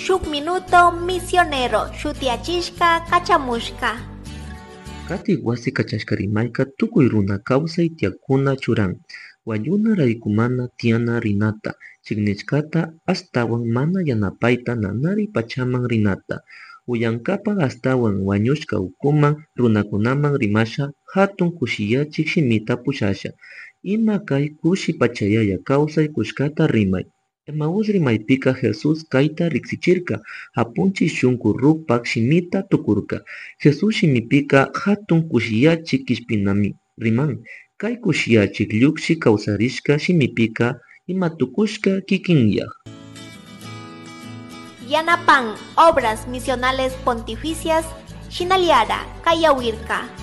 Shuk Minuto Misionero shutiyachishka kachamushka. Katik wasi kachashka rimayka tukuy runa kawsay tiyakuna churan, wañuna raykumana tiyana rinata, chiknishkata ashtawan mana yanapayta nanari pachaman rinata, uyankapak ashtawan wañushka ukuman runakunaman rimasha hatun kushiyachik shimita pushasha, ima kay kushi pachayaya kawsay kushkata rimay. Emaús rimaypika Jesús kayta riksichirka, apunchik shunku rupak shimita tukurka. Jesús shimipika hatun kushiyachik kishpinami riman. Kay kushiyachik llukshi kawsarishka shimipika imatukushka kikinyak. Yanapan Obras Misionales Pontificias Shinaliara Kayawirka.